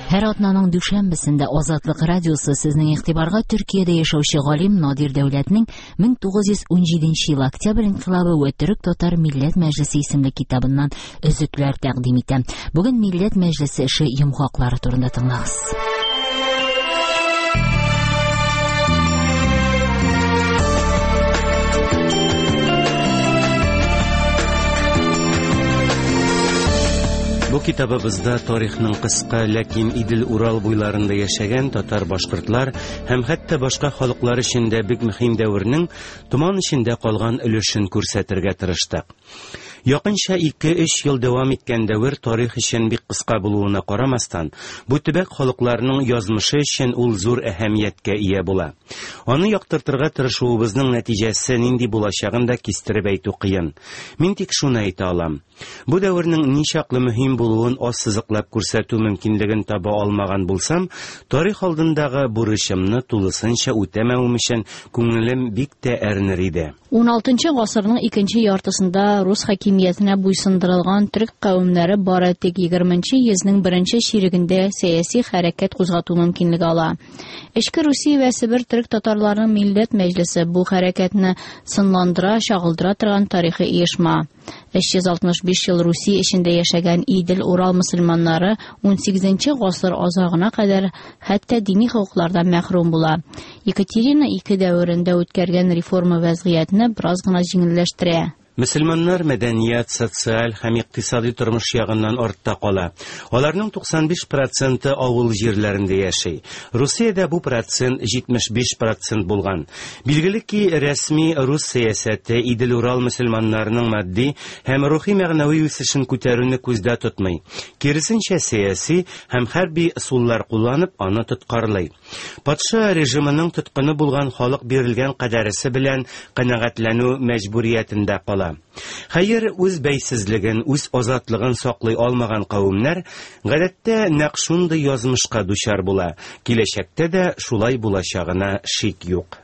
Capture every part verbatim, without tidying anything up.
Һәр атнаның дүшәмбесендә Азатлык радиосы сезнең игътибарга Төркиядә яшәүче галим Надир Дәүләтнең мең тугыз йөз унҗиденче ел Октябрь инкыйлабы вә Төрек-татар милләт мәҗлесе исемле китабыннан өзекләр тәкъдим итә. Бүген милләт мәҗлесе эше йомгаклары турында тыңлагыз. Бу китабыбызда тарихның кыска, ләкин Идел-Урал буйларында яшәгән татар-башкортлар һәм хәтта башка халыклар өчен дә бик мөһим дәвернең томан эчендә калган өлешен күрсәтергә тырыштык. Якынча ике-өч ел дәвам иткән дәвер тарих өчен бик кыска булуына карамастан, бу төбәк халыкларының язмышы өчен ул зур әһәмияткә ия була. Аны яктыртырга тырышуыбызның нәтиҗәсе нинди булачагын да кистереп әйтү кыен. Мин тик шуны әйтә алам. Бу дәвернең ничаклы мөһим булуын ассызыклап күрсәтү мөмкинлеген таба алмаган булсам, тарих алдындагы бурычымны тулысынча үтәмәвем өчен күңелем бик тә әрнер иде. Ун алтынчы гасырның икенче яртысында рус хакимиятенә буйсындырылган төрек кавемнәре бары тик егерменче йөзнең беренче чирегендә сәяси хәрәкәт кузгату мөмкинлеге ала. Эчке Русия вә Себер төрек татарларының милләт мәҗлесе бу хәрәкәтне сынландыра, чагылдыра торган тарихи оешма. Өч йөз алтмыш биш ел Русия эчендә яшәгән Идел-Урал мөселманнары ун сигезенче гасыр азагына кадәр хәтта дини хокуклардан мәхрүм була. Екатерина ике дәверендә үткәргән реформа вәзгыятьне бераз гына җиңелләштерә. Мөселманнар мәдәният, социаль һәм икътисади тормыш ягыннан артта кала. Аларның туксан биш проценты авыл җирләрендә яши. Русиядә бу процент җитмеш биш процент булган. Билгеле ки, рәсми рус сәясәте Идел-Урал мөселманнарының матди һәм рухи мәгънәви үсешен күтәрүне күздә тотмый. Киресенчә, сәяси һәм хәрби ысуллар кулланып аны тоткарлый. Патша режимының тоткыны булган халык бирелгән кадәресе белән канәгатьләнү мәҗбүриятендә кала. Хәер, үз бәйсезлеген, үз азатлыгын саклый алмаган кавемнәр гадәттә нәкъ шундый язмышка дучар була. Киләчәктә дә шулай булачагына шик юк.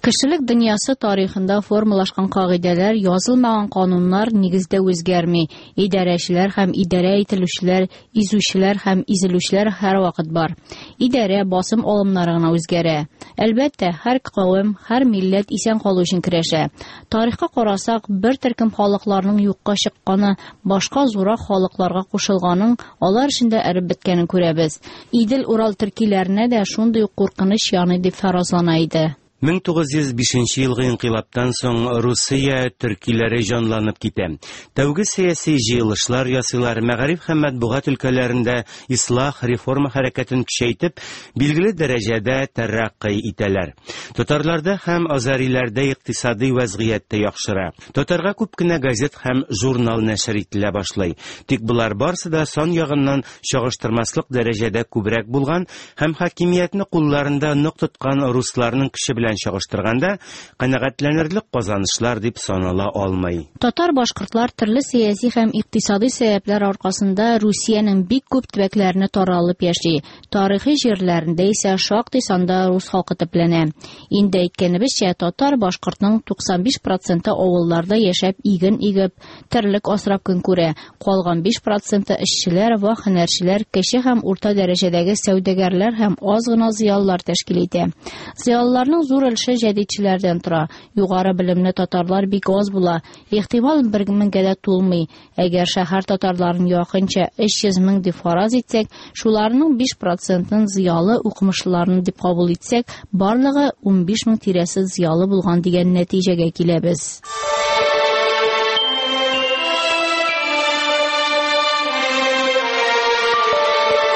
Кешелек дөньясы тарихында формалашкан кагыйдәләр, язылмаган кануннар нигездә үзгәрми. Идарәчеләр һәм идарә ителүчеләр, изүчеләр һәм изелүчеләр һәрвакыт бар. Идарә басым алымнары гына үзгәрә. Әлбәттә, һәр кавем, һәр милләт исән калу өчен көрәшә. Тарихка карасак, бер төркем халыкларның юкка чыкканы, башка зуррак халыкларга кушылганын, алар эчендә эреп беткәнен күрәбез. Идел-Урал төркиләренә дә шундый ук куркыныч яный дип фаразлана иде. Мең тугыз йөз бишенче елгы инкыйлабтан соң Русия төркиләре җанланып китә. Тәүге сәяси җыелышлар ясыйлар, мәгариф һәм матбугат өлкәләрендә ислах, реформа хәрәкәтен көчәйтеп, билгеле дәрәҗәдә тәрәккый итәләр. Татарларда һәм азариләрдә икътисади вәзгыять тә яхшыра. Татарга күп кенә газет һәм журнал нәшер ителә башлый. Тик болар барсы да сан ягыннан чагыштырмаслык дәрәҗәдә күбрәк булган һәм хакимиятне кулларында нык тоткан русларның көче белән чагыштырганда канәгатьләнерлек казанышлар дип санала алмый. Татар-башкортлар төрле сәяси һәм икътисади сәбәпләр аркасында Русиянең бик күп төбәкләренә таралып яши. Тарихи җирләрендә исә шактый санда рус халкы төпләнә. Инде әйткәнебезчә, татар-башкортның туксан биш проценты авылларда яшәп иген игеп, терлек асрап көн күрә. Калган биш проценты эшчеләр, вак һөнәрчеләр, кече һәм урта дәрәҗәдәге сәүдәгәрләр һәм аз гына зыялылар тәшкил итә. Зыялыларның зур өлеше җәдитчеләрдән тора. Югары белемле татарлар бик аз була. Ихтимал бер меңгә дә тулмый. Әгәр шәһәр татарларын якынча өч йөз мең дип фараз итсәк, шуларның биш процентын зыялы укымышлыларын дип кабул итсәк, барлыгы унбиш мең тирәсе зыялы булган дигән нәтиҗәгә киләбез.